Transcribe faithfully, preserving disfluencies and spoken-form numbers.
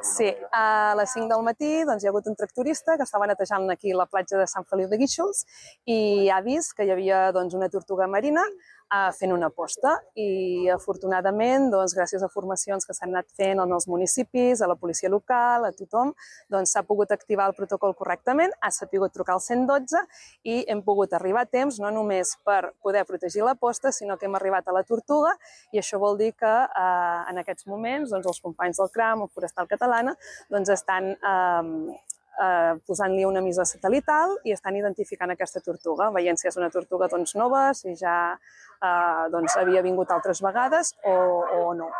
Sí, a les cinc del matí doncs, hi ha hagut un tractorista que estava netejant aquí la platja de Sant Feliu de Guíxols i ha vist que hi havia doncs, una tortuga marina eh, fent una posta i afortunadament, doncs, gràcies a formacions que s'han anat fent en els municipis, a la policia local, a tothom, doncs, s'ha pogut activar el protocol correctament, ha sapigut trucar al cent i dotze i hem pogut arribar a temps no només per poder protegir la posta, sinó que hem arribat a la tortuga i això vol dir que eh, en aquests moments doncs, els companys del CRAM o Forestal Catalana doncs, estan eh, eh, posant-li una emissora satelital i estan identificant aquesta tortuga, veient si és una tortuga doncs, nova, si ja eh, doncs, havia vingut altres vegades o, o no.